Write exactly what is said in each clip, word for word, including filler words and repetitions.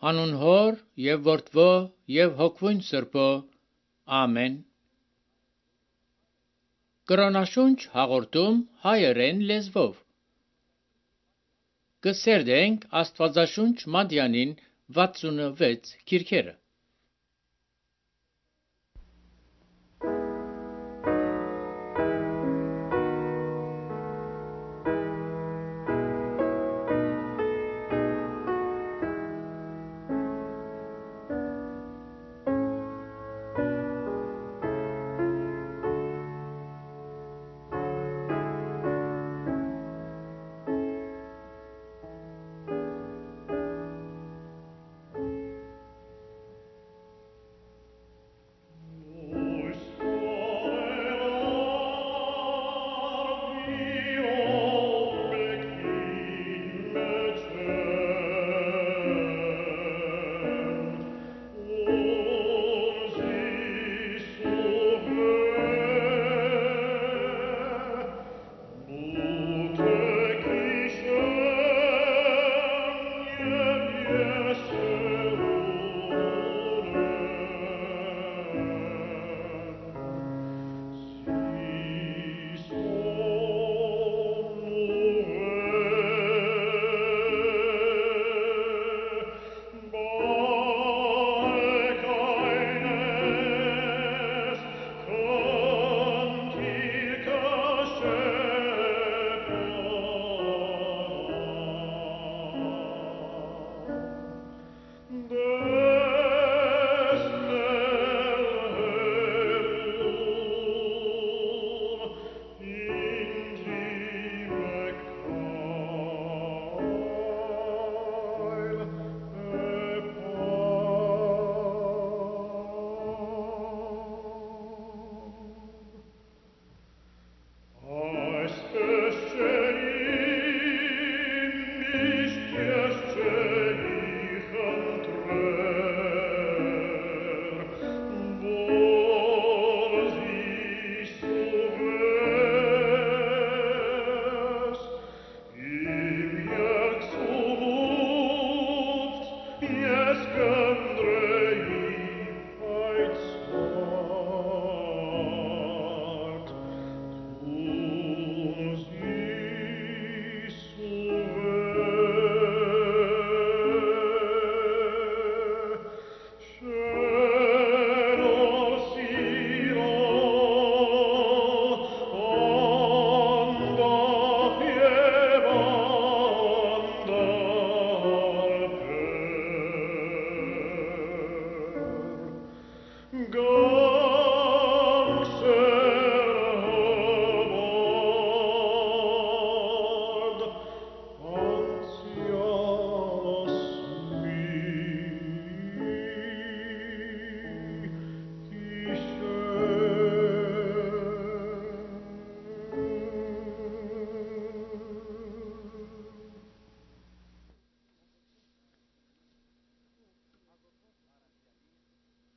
Անուն Հոր եւ Որդվո եւ Հոգվուն Սրբո։ Ամեն։ Կրոնաշունչ հաղորդում հայերեն լեզվով։ Կսերդենք Աստվածաշունչ Մատյանին վաթսունվեց քիրքերը։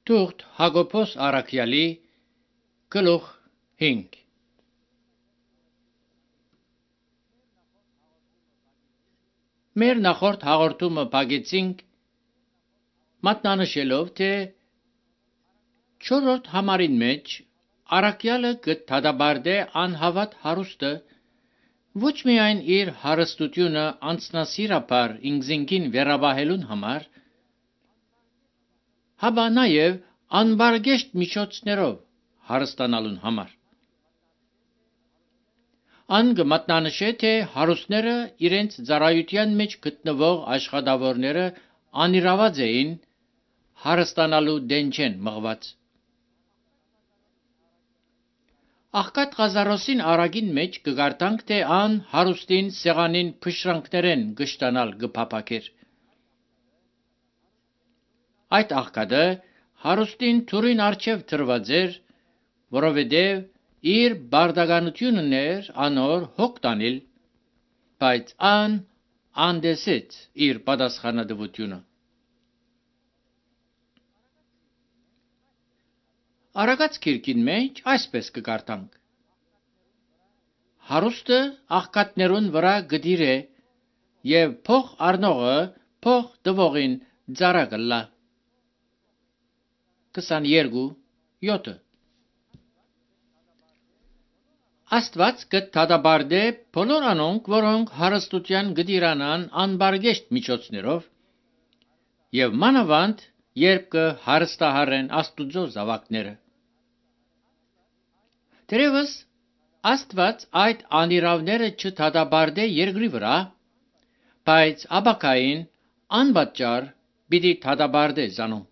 Թուղթ Հակոբոս Առաքյալի գլուխ հինգ։ Մեր նախորդ հաղորդումը բաղեցինք մատնանշելով, թե չորրորդ համարին մեջ Առաքյալը կդադարե անհավատ հարուստը ոչ միայն իր հարստությունը անձնասիրաբար ինքզինքին վերաբահելուն համար, հապա նաև անբարգեշտ միջոցներով հարստանալուն համար։ Ան կմատնանշե, թե հարուստները իրենց ծառայության մեջ գտնվող աշխատավորները անիրաված էին հարստանալու դեն չեն մղված։ Աղքատ Ղազարոսին արագին մեջ կգարտանք, թե ան հարուստին սեղանին փշրանքներեն գշտանալ գփափակեր։ Այդ աղքատը հարուստին թուրին արջև թրված էր, որովհետև իր բարդականությունն էր անոր հոգ տանել, բայց ան անդեսեց իր պատասխանատվությունը։ Արագած քիրքին մեջ այսպես կգարտանք. հարուստը աղքատներուն վրա գդիր է, եւ փող առնողը փող տվողին ծառա կլա։ քսաներկու յոթ Աստված կթադաբարդե բոլոր անոնք, որոնք հարստության գդիրանան անբարգեշտ միջոցներով, եւ մանավանդ երբ կհարստահարեն Աստուծո զավակները։ Դերևս Աստված այդ անիրավները չթադաբարդե երկրի վրա, բայց աբակային անպատճառ պիտի թադաբարդե զանոնք։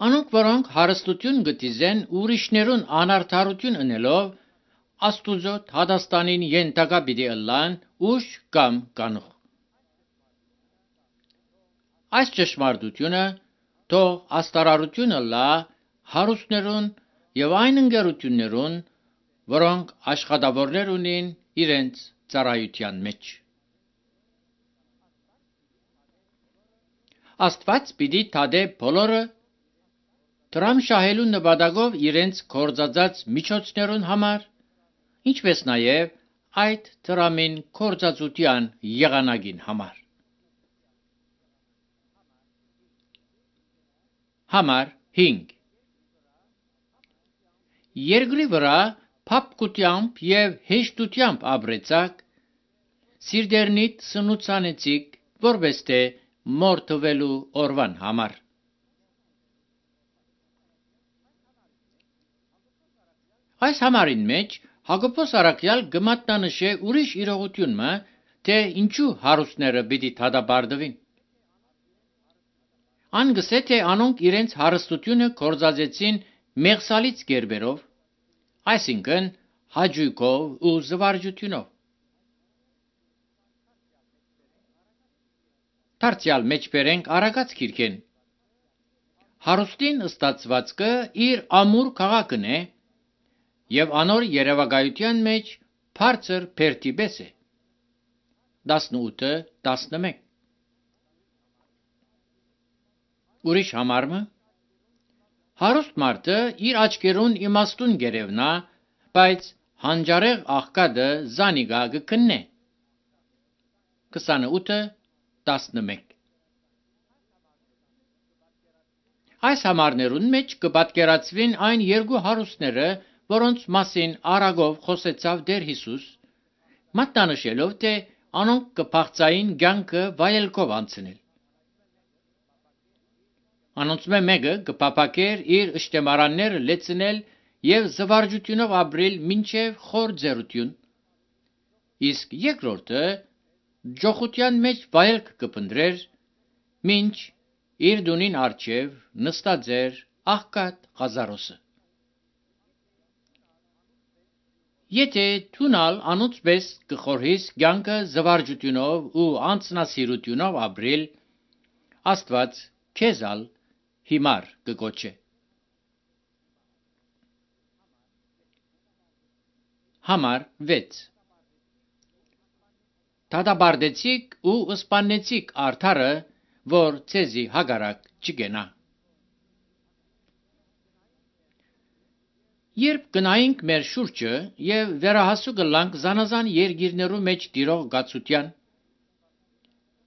Անոնք, որոնք հարստություն գտիզեն ուրիշներուն անարդարություն ընելով, Աստուծո հադաստանին ենթակա պիտի ըլլան ուշ կամ կանուխ։ Այս ճշմարտությունը թող աստարարությունը լա հարուստներուն եւ այն ընկերություններուն, որոնք աշխատավորներ ունին իրենց ծառայության մեջ։ Աստված պիտի թադե բոլորը դրամ շահելու նպատակով իրենց կործածած միջոցներուն համար, ինչպես նաև այդ դրամին կործածության եղանակին համար։ Համար հինգ Երկրի վրա փափկությամբ եւ հեշտությամբ ապրեցակ, սիրտերնիդ սնուցանեցիք, որպես թե մորթվելու օրվան համար։ Այս համարին մեջ Հակոբոս առաքյալ գմատնանշե ուրիշ իրողությունը, թե ինչու հարուստները պիտի թադաբարդվին։ Ան գսե թե անոնք իրենց հարստությունը կործածեցին մեղսալից գերբերով, այսինքն հաճույքով ու զվարճությունով։ Դարձյալ մեջ բերենք Արագած գիրքեն։ Հարուստին ստացվածքը իր ամուր քաղաքն է եւ անոր երևակայության մեջ բարձր բերդի պես է։ տասնութ տասնմեկ Ուրիշ համարը հարուստ մարդը իր աչքերուն իմաստուն գերևնա, բայց հանճարեղ աղքատը զանիգա կքննե։ քսանութ տասնմեկ Այս համարներուն մեջ կպատկերացվին այն երկու հարուստները, որոնց մասին արագով խոսեցավ Տեր Հիսուս, մատնանշելով, թե անոնք կփախծային կյանքը վայելքով անցնել։ Անոնցմե մեկը կփափակեր իր ըշտեմարանները լեցնել եւ զվարճությունով ապրել մինչեւ խոր ձեռություն, իսկ երկրորդը ջոխության մեջ վայելք կփնտրեր, մինչ իր դունին արջև նստած էր աղքատ Ղազարոսը։ Եթե թունալ անոնցպես կխորհիս կյանքը զվարճությունով ու անձնասիրությունով ապրել, Աստված քեզալ հիմար կգոչե։ Համար վեց Դադաբարդեցիք ու ըսպանեցիք արդարը, որ ցեզի հագարակ չգենա։ Երբ գնայինք մեր շուրջը եւ վերահասու գլանք զանազան երկիրներու մեջ տիրող գացության,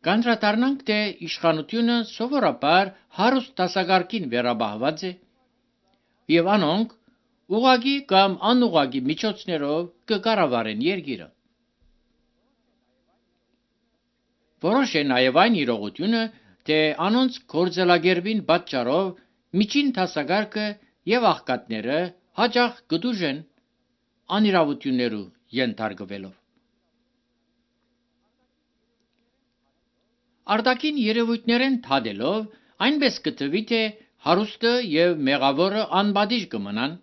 կանդրադառնանք, թե իշխանությունը սովորաբար հարուստ դասակարգին վերաբահված է եւ անոնք ուղղակի կամ անուղղակի միջոցներով կկառավարեն երկիրը։ Որոշ է նաեւ այն իրողությունը, թե անոնց գործելագերբին պատճառով միջին դասակարգը եւ աղքատները հաճախ կդուժեն անիրավություններու ենթարկվելով։ Արտաքին երևույթներեն թադելով այնպես կտվի, թե հարուստը եւ մեղավորը անպատիժ կմնան,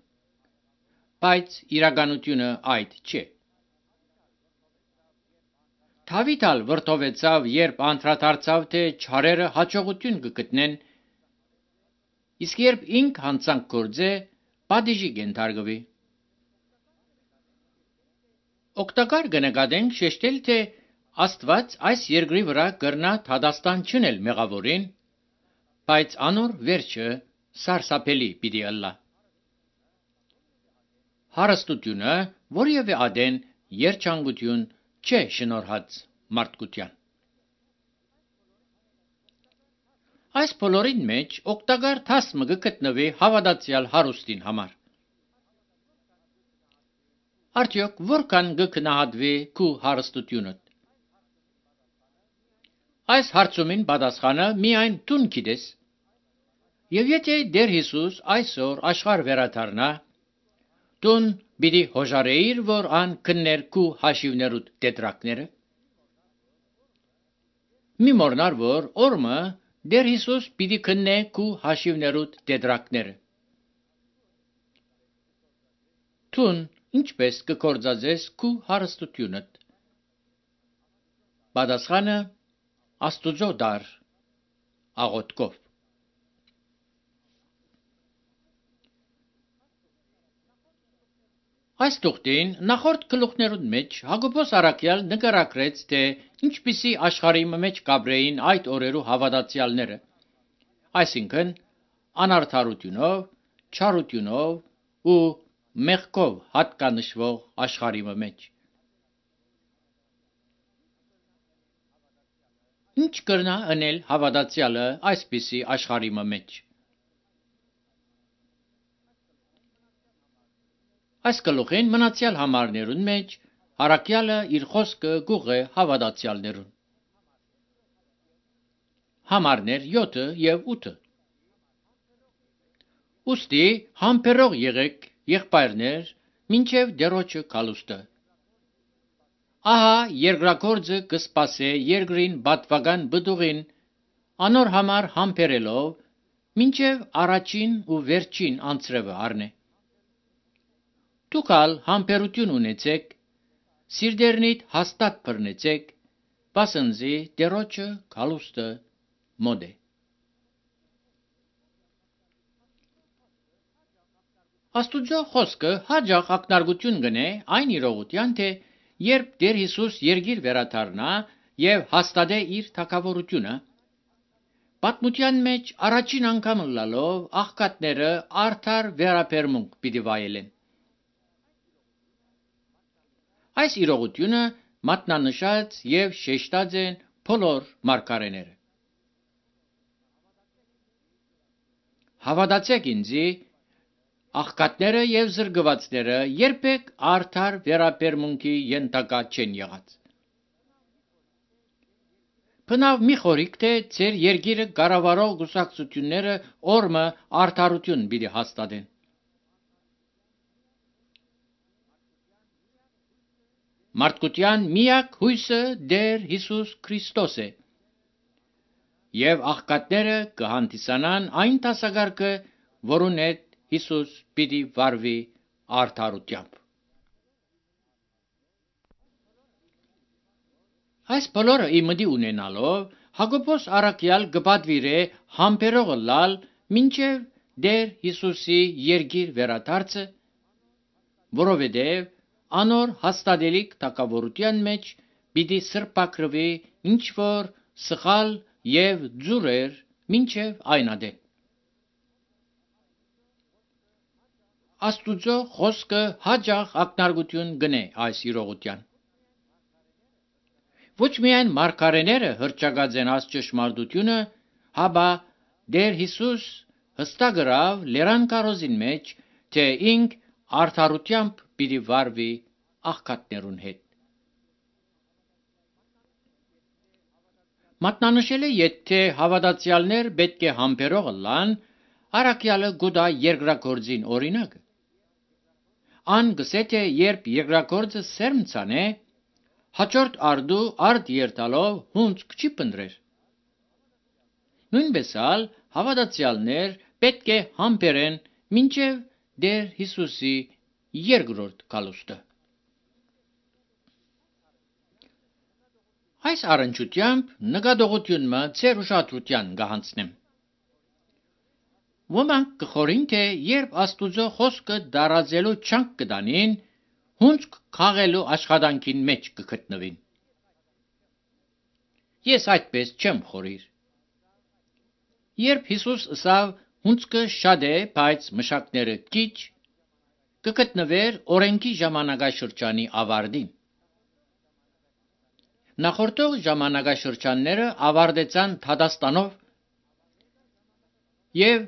բայց իրականությունը այդ չէ։ Դավիթ ալ վրդովեցավ, երբ անդրադարձավ, թե չարերը հաջողություն կգտնեն, իսկ երբ ինք հանցանք գործե, պատիժի կենթարկվի։ Օգտակար կնկատենք շեշտել, թե Աստված այս երկրի վրա կրնա դադաստան չնել մեղավորին, բայց անոր վերջը սարսափելի պիտի ըլլա։ Հարստությունը որևէ ադեն երջանկություն չէ շնորհած մարդկության։ Այս բոլորին մեջ օգտակար թասմը գտնվի հավատացյալ հարուստին համար։ Արդյոք որքան գկնահատվի քու հարստությունդ։ Այս հարցումին պատասխանը միայն դուն գիտես։ Եվ եթե Տեր Հիսուս այսօր աշխարհ վերադառնա, դուն պիտի հոժարեիր, որ ան քններ քու հաշիվներուդ տետրակները։ Մի մոռնար, որ օրը Տեր Հիսուս պիտի քննե քու հաշիվներուդ տետրակները։ Դուն ինչպես կկործածես քու հարստությունդ։ Պատասխանը Աստուծո դար աղոթքով։ Այս տուղտին նախորդ գլուխներուն մեջ Հակոբոս առաքյալ նկարագրեց, թե ինչպիսի աշխարհի մեջ կապրեին այդ օրերու հավատացյալները, այսինքն անարդարությունով, չարությունով ու մեղքով հատկանշվող աշխարհի մեջ։ Ինչ կրնա անել հավատացյալը այսպիսի աշխարհի մեջ։ Այս գլուխին մնացյալ համարներուն մեջ առաքյալը իր խոսքը գուղ է հավատացյալներուն։ Համարներ յոթը եւ ութը։ Ուստի համբերող եղեք, եղբայրներ, մինչև դերոջը կալուստը։ Ահա երկրագործը կսպասե երկրին բատվական բդուղին, անոր համար համբերելով, մինչև առաջին ու վերջին անձրևը առնե։ Դուք ալ համբերություն ունեցեք, սիրտերնիդ հաստատ բռնեցեք, բասնզի դերոջը կալուստը մոտ է։ Աստուծո խոսքը հաջող ակնարկություն գնե այն իրողության, թե երբ Տեր Հիսուս երկիր վերադառնա եւ հաստատե իր թագավորությունը, պատմության մեջ առաջին անգամ լալով աղքատները արդար վերապերմունք պիտի վայելեն։ Այս իրողությունը մատնանշած եւ շեշտած են բոլոր մարգարեները։ Հավատացեք ինձի, աղքատները եւ զրկվածները երբեք արդար վերապերմունքի ենթակա չեն եղած։ Բնավ մի խորիկ, թե ձեր երկիրը կառավարող գուսակցությունները օրը արդարություն պիտի հաստատեն։ Մարդկության միակ հույսը Տեր Հիսուս Քրիստոս է, եւ աղքատները կհանդիսանան այն դասակարգը, որուն հետ Հիսուս պիտի վարվի արդարությամբ։ Այս բոլորը իմդի ունենալով Հակոբոս առաքյալ կպատվիրե համբերողը լալ մինչև Տեր Հիսուսի երկիր վերադարձը, որովհետև անոր հաստատելիք թագավորության մեջ պիտի սրբակրվի ինչ որ սխալ եւ ձուրեր մինչև այնադե։ Աստուծո խոսքը հաջող ակնարկություն գնե այս իրողության։ Ոչ միայն մարգարեները հռչակած են այս ճշմարտությունը, հաբա Տեր Հիսուս հստակրավ լերան կարոզին մեջ, թե ինք արդարությամբ պիտի վարվի աղքատներուն հետ։ Մատնանշել է, եթե հավատացյալներ պետք է համբերող լան, առաքյալը գուտա երկրագործին օրինակը։ Ան գսե, թե երբ երկրագործը սերմ ցանե, հաջորդ արդու արդ երթալով հունց չի պնդրեր։ Նույնպես ալ հավատացյալներ պետք է համբերեն մինչև Տեր Հիսուսի երկրորդ գալուստը։ Այս առնչությամբ նկատողությունը ձեր ուշադրության կհանձնեմ։ Ոմանք կխորին, թե երբ Աստուծո խոսքը դարածելու չանք կտանին, հունց քաղելու աշխատանքին մեջ կգտնվին։ Ես այդպես չեմ խորիր։ Երբ Հիսուս ասավ հունցքը շատ է, բայց մշակները քիչ, կգտնվեր օրենքի ժամանակաշրջանի ավարտին։ Նախորդող ժամանակաշրջանները ավարտեցան Թադաստանով, եւ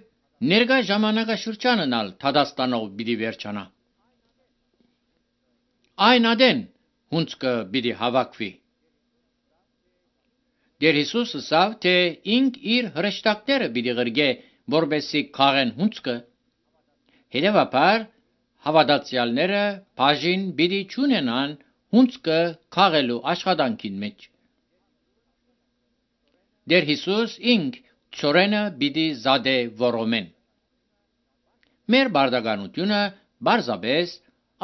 ներկա ժամանակաշրջանն ալ Թադաստանով պիտի վերջանա։ Այն ադեն հունցկը պիտի հավաքվի։ Դեր Հիսուսը ասավ, թե ինք իր հրեշտակները պիտի գրգե, որբեսի քաղեն հունցկը։ Հետևաբար հավատացյալները բաժին պիտի չունենան հունցկը քաղելու աշխատանքին մեջ։ Դեր Հիսուս ինք ծորենը պիտի զադե որոմեն։ Մեր բարդականությունը բարձաբես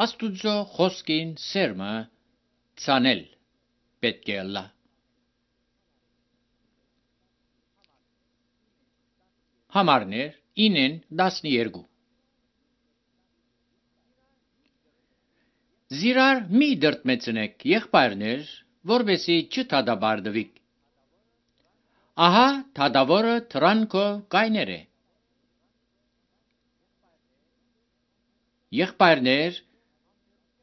Աստուծո խոսքին սերմը ցանել պետք է լա։ Համարներ ինեն տասներկու Զիրար մի դրտմեցնեք եղբայրներ, որբեսի չթադաբարդվիք։ Ահա թադավորը թրանքով կայներ է։ Եղբայրներ,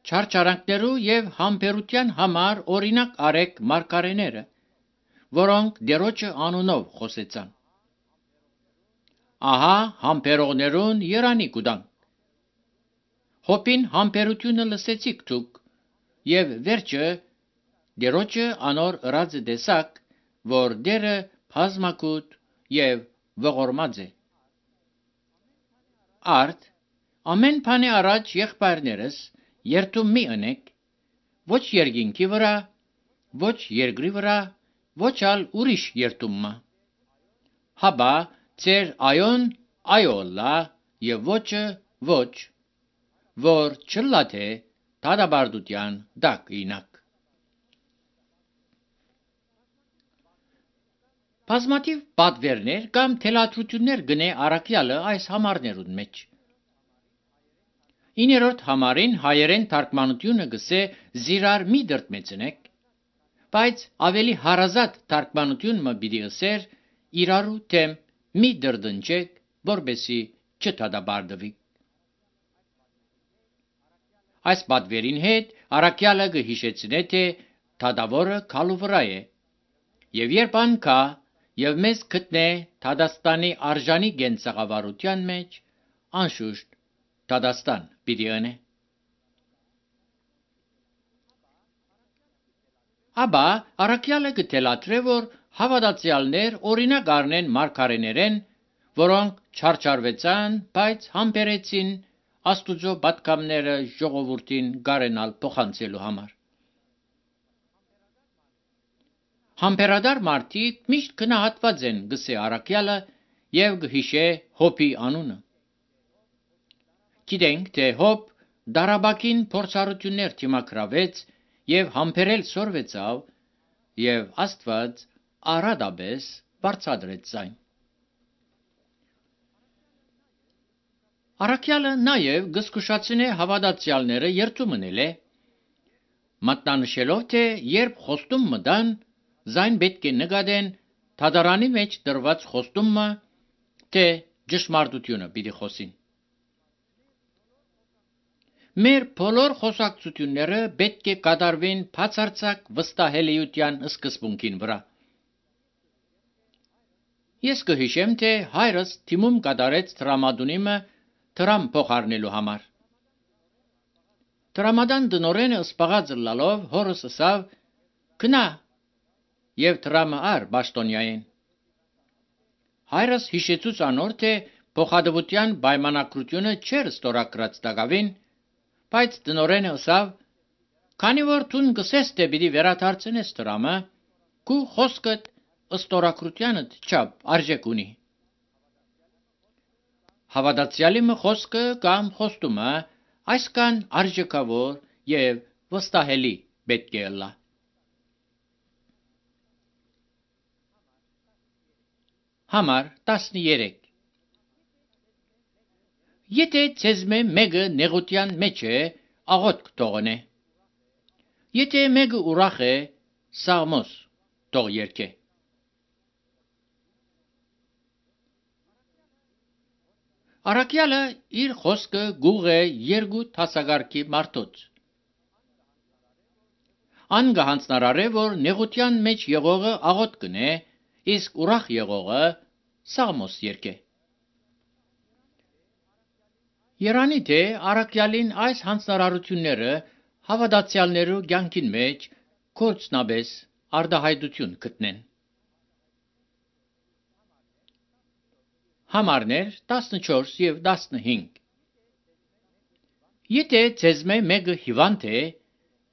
չարչարանքներու եւ համբերության համար օրինակ արեք մարգարեները, որոնք դերոջը անունով խոսեցան։ Ահա համբերողներուն երանի կուտան։ Հոպին համբերությունը լսեցիք դուք, եւ վերջը դերոջը անոր ըրածը դեսակ, որ դերը բազմակուտ եւ ողորմած է։ Արդ ամեն բանի առաջ եղբայրներս երթում մի ընեք, ոչ երկինքի վրա, ոչ երկրի վրա, ոչ ալ ուրիշ երթումմա։ Հաբա ծեր այոն այոլա եւ ոչը ոչ, որ չլա թե դադաբարդության դակ ինակ։ Բազմաթիվ պատվերներ կամ թելադրություններ գնե առաքյալը այս համարներուն մեջ։ Իներորդ համարին հայերեն թարգմանությունը գսե զիրար մի դրտմեցնեք, բայց ավելի հարազատ թարգմանությունը պիտի ասեր իրարու թեմ մի դրդնջեք, որբեսի չթադաբարդվի։ Այս պատվերին հետ առաքյալը կհիշեցնե, թե թադավորը քալու վրա է, եւ երբ անկա եւ մեզ գտնե Թադաստանի արժանի գենցաղավարության մեջ, անշուշտ Թադաստան պիտի ընե։ Աբա առաքյալը կթելադրե, որ հավատացյալներ օրինակ առնեն մարգարեներեն, որոնք չարչարվեցան, բայց համբերեցին Աստուծո պատգամները ժողովրդին գարենալ փոխանցելու համար։ Համբերադար մարդիկ միշտ գնահատված են, գսե առաքյալը եւ գհիշե Հոբի անունը։ Գիտենք, թե Հոբ դարաբակին փորձառություններ թիմակրավեց եւ համբերել սորվեցավ եւ Աստված արադաբես բարձադրեց այն։ Առաքյալը նաեւ գսկուշացնե հավատացյալները երթում ընել է, մատնանշելով, թե երբ խոստում մտան, զայն պետք է նկատեն թադարանի մեջ դրված խոստումը, թե ճշմարտությունը պիտի խոսին։ Մեր բոլոր խոսակցությունները պետք է կատարվեն բացարձակ վստահելիության սկզբունքին վրա։ Ես կհիշեմ, թե հայրս թիմում կատարեց տրամադունիմը Թրամ փոխարնելու համար։ Տրամադան դնորենը սպաղած լալով հորս ասավ. «Գնա եւ Թրամը ար Բաշտոնյային»։ Հայրս հիշեցուց անոր, թե փոխադվության պայմանագրությունը չէր ստորագրած տակավին, բայց դնորենը ասավ. «Քանի որ դուն գսես թե պիտի վերադարձնես Թրամը, քու խոսքդ ստորագրությանդ չափ արժեք ունի»։ Հավատացյալի խոսքը կամ խոստումը այսքան արժեքավոր եւ վստահելի պետք է լա։ Համար տասներեք Եթե ցեզմե մեկը նեղության մեջ է, աղոթք թողնե։ Եթե մեկը ուրախ է, սաղմոս թող երգե։ Առաքյալը իր խոսքը գուղ է երկու տասագարքի մարդոց։ Ան գահանցնարարե, որ նեղության մեջ եղողը աղոթք կնե, իսկ ուրախ եղողը սաղմոս երգե։ Երանի թե առաքյալին այս հանձնարարությունները հավատացյալներու կյանքին մեջ կորցնաբես արդահայտություն գտնեն։ Համարներ տասնչորս եւ տասնհինգ Եթե ցեզմե մեկը հիվանդ է,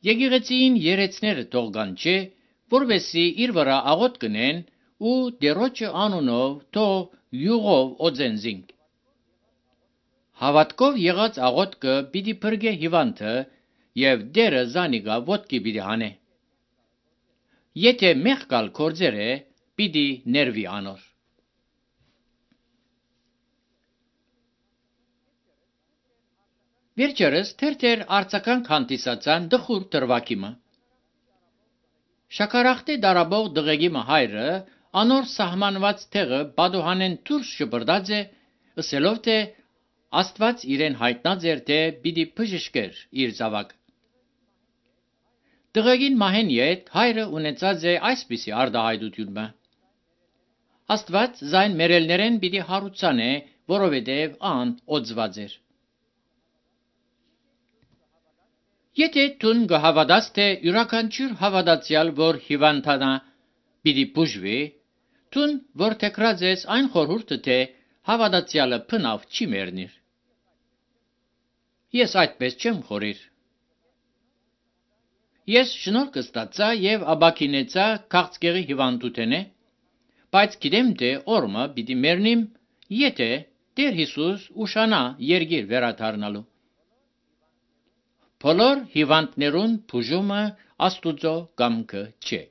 եկեղեցին երեցները թողան չէ, որովհետեւ իր վրա աղոտ կնեն ու դերոջը անունով թող յուղով օձենզինք։ Հավատքով եղած աղոտքը պիտի բրգե հիվանդը եւ դերը զանիգա ոտքի պիտի հանե։ Եթե մեղքալ կորձեր է, պիտի ներվի անոր։ Վերջերս թերթեր արցական քանտիսացան դխուր դրվակիմը։ Շաքարախտի դարաբող դղեգի հայրը անոր սահմանված տեղը բադոհանեն դուրս շպրդած է, ըսելով թե Աստված իրեն հայտնած էր թե պիտի բժշկեր իր զավակ։ Դղեգին մահեն յետ հայրը ունեցած է այսպիսի արդահայտությունը։ Աստված զայն մերելներեն պիտի հարուցանե, որովհետև ան օձված էր։ Եթե տուն գհավադաս թե յուրաքանչյուր հավատացյալ, որ հիվանդանա, պիտի բուժվի, տուն, որ թեկրած ես այն խորհուրդը թե հավատացյալը փնավ չի մեռնիր։ Ես այդպես չեմ խորիր։ Ես շնորհ կստացա եւ աբակինեցա քաղցկեղի հիվանդութենե, բայց գիտեմ թե օրմը պիտի մեռնիմ, եթե Տեր Հիսուս ուշանա երգիր վերադառնալու։ Բոլոր հիվանդներուն բուժումը Աստուծո կամքը չէ։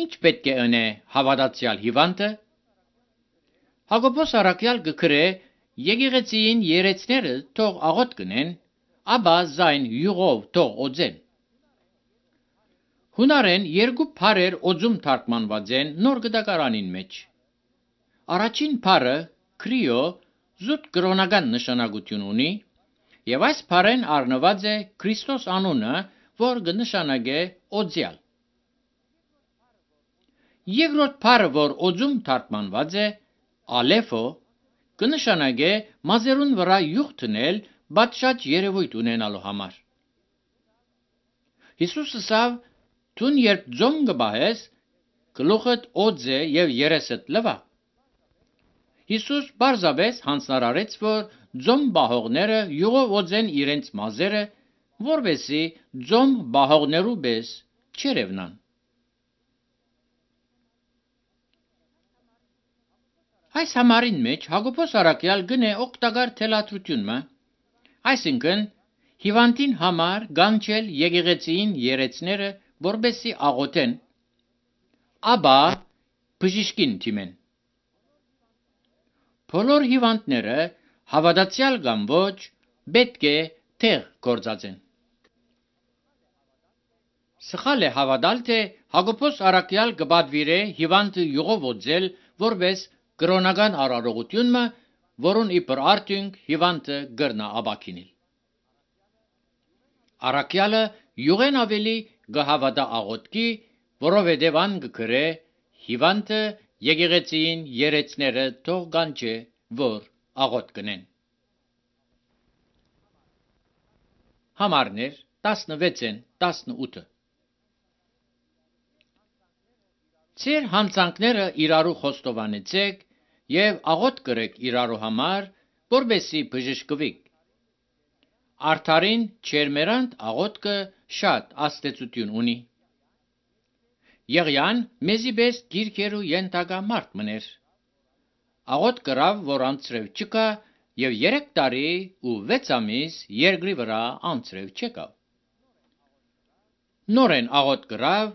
Ինչ պետք է ընե հավատացյալ հիվանդը։ Հակոբոս առաքյալ գկրե եկեղեցին երեցները թող աղոտ կնեն, ապա զայն յուղով թող օձեն։ Հունարեն երկու բառեր օձում թարգմանված են նոր գտակարանին մեջ։ Առաջին բառը քրիո զուտ կրոնական նշանակություն ունի, եւ այս բառեն առնված է Քրիստոս անունը, որ կնշանակե օձյալ։ Երկրորդ բառը, որ օձում թարգմանված է ալեֆո, կնշանակե մազերուն վրա յուղ դնել բացշաճ երևույթ ունենալու համար։ Հիսուսը ասավ. «Դուն երբ ձոմ կբահես, գլուխդ օձ է եւ երեսդ լվա»։ Հիսուս բարձաբես հանձնարարեց, որ ձոմ բահողները յուղով օձեն իրենց մազերը, որովհետեւ ձոմ բահողներու պես չերևնան։ Այս համարին մեջ Հակոբոս առաքյալ գնե օգտակար թելադրությունը, այսինքն հիվանդին համար գանչել եկեղեցին երեցները, որբեսի աղոթեն, ապա բժիշկին թիմեն։ Բոլոր հիվանդները հավատացյալ կամ ոչ պետք է տեղ գործածեն։ Սխալ է հավատալ, թե Հակոբոս առաքյալ կպատվիրե հիվանդը յուղով օձել, որպես կրոնական արարողությունը, որուն իբր արդյունք հիվանդը գրնա աբակինել։ Առաքյալը յուղեն ավելի կհավատա աղոթքի, որովհետև ան կգրե հիվանդը եկեղեցին երեցները թող կանչե, որ աղոթ կնեն։ Համարներ տասնվեցն տասնութը Ձեր հանցանքները իրարու խոստովանեցեք եւ աղոթ կրեք իրարու համար, որբեսի բժշկվիք։ Արդարին չերմերանդ աղոթքը շատ աստեցություն ունի։ Եղյան մեզի պես գիրքերու ենթակա մարդ մներ։ Աղոթ կրավ, որ անցրև չկա եւ երեք տարի ու վեց ամիս երկրի վրա անցրև չկավ։ Նորեն աղոթ կրավ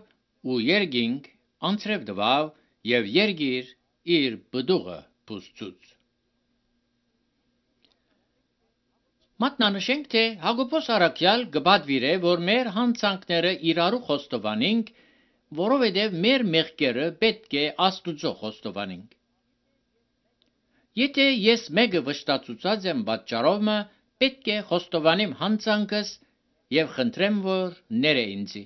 ու երգինք անցրև դվավ եւ երգիր իր բդուղը բուսծուց։ Մատնանշենք, թե Հակոբոս առաքյալ կպատվիրե, որ մեր հանցանքները իրարու խոստովանենք, որովհետև մեր մեղքերը պետք է Աստուծո խոստովանենք։ Եթե ես մեկը վշտացուցած եմ պատճառովը, պետք է խոստովանեմ հանցանքս եւ խնդրեմ, որ ներե ինձի։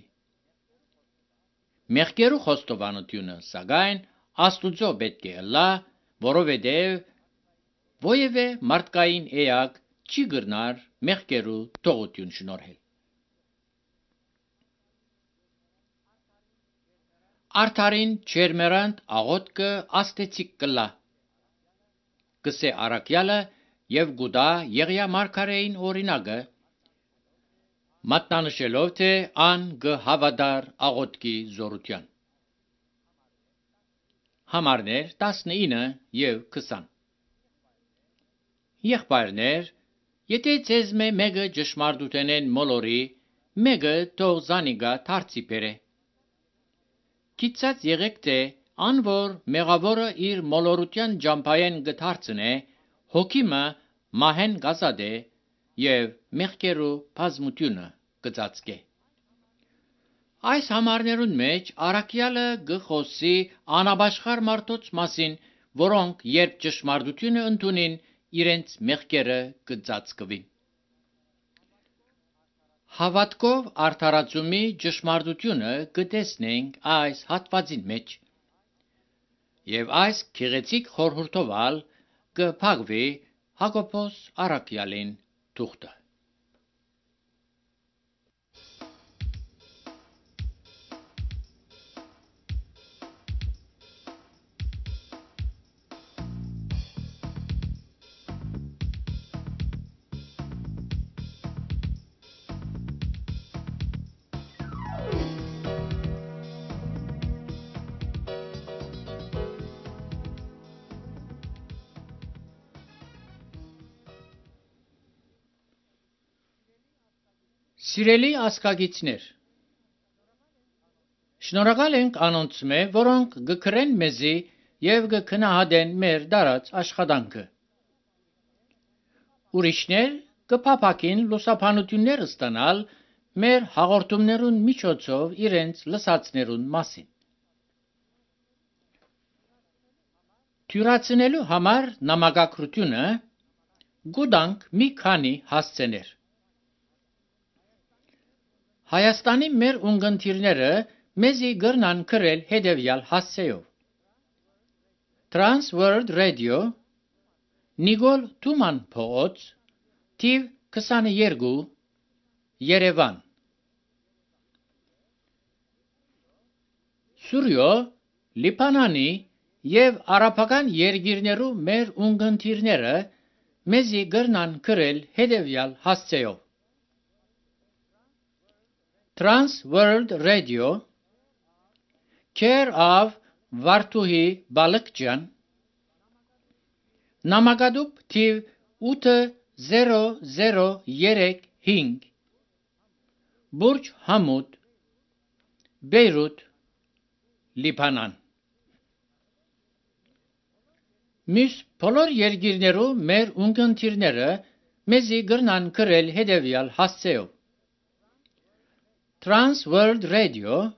Մեղքերու խոստովանությունը, սակայն Աստուծո պետք է լա, որովհետև Ոևէ մարդկային էակ չի գրնար մեղքերու թողություն շնորհել։ Արդարին չերմերանտ աղոտքը աստեցիկ կլա։ Կսե արաքյալը եւ գուդա Եղիա մարգարեին օրինակը, մատնանշելով թե ան գհավադար աղոտքի զորության։ Համարներ տասնինը եւ քսան։ Եղբայրներ, եթե ցեզ մե մեկը ճշմարտութենեն մոլորի, մեկը թող զանիգա դարձի բերե։ Գիտած եղեք թե ան որ մեղավորը իր մոլորության ջամփայեն գդարցնե, հոգիմը մահեն գազադե եւ մեղքերու բազմությունը գծածկե։ Այս համարներուն մեջ արաքյալը գխոսի անաբաշխար մարդոց մասին, որոնք երբ ճշմարտությունը ընդունին, իրենց մեղքերը գծածկվին։ Հավատքով արդարացումի ճշմարտությունը կտեսնենք այս հատվածին մեջ, եւ այս քեղեցիկ խորհրդովալ կփակվի Հակոբոս արաքյալին թուղթը։ Սիրելի ասկագիցներ, շնորհակալ ենք անոնց մե, որոնք գկրեն մեզի եւ գքնահատեն մեր դարած աշխատանքը։ Ուրիշներ կփափակին լուսաբանություններ ստանալ մեր հաղորդումներուն միջոցով իրենց լսածներուն մասին։ Թյուրացնելու համար նամակագրությունը գուտանք մի քանի հասցեներ։ Հայաստանի մեր ունգընտիրները մեզի գրնան գրել հետևյալ հասցեով. Trans World Radio, Նիկոլ Թուման փողոց, թիվ քսաներկու, Երևան։ Սուրյո, Լիբանանի եւ արաբական երկիրներու մեր ունգընտիրները մեզի գրնան գրել հետևյալ հասցեով. Trans World Radio, Care of Վարդուհի Բալկջյան, Նամակադուպ թիվ ութ զերո զերո երեք հինգ, Բուրջ Համուդ, Բեյրութ, Լիբանան։ Մյուս բոլոր երկիրներու մեր ունգընտիրները մեզի գրնան գրել հետևյալ հասցեով. Trans World Radio,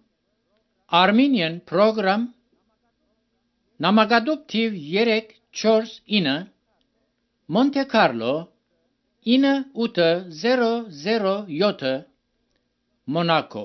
Armenian Program, Նամակադուպ թիվ երեք չորս ինը, Monte Carlo, ինը ութ զերո զերո յոթ, Մոնակո։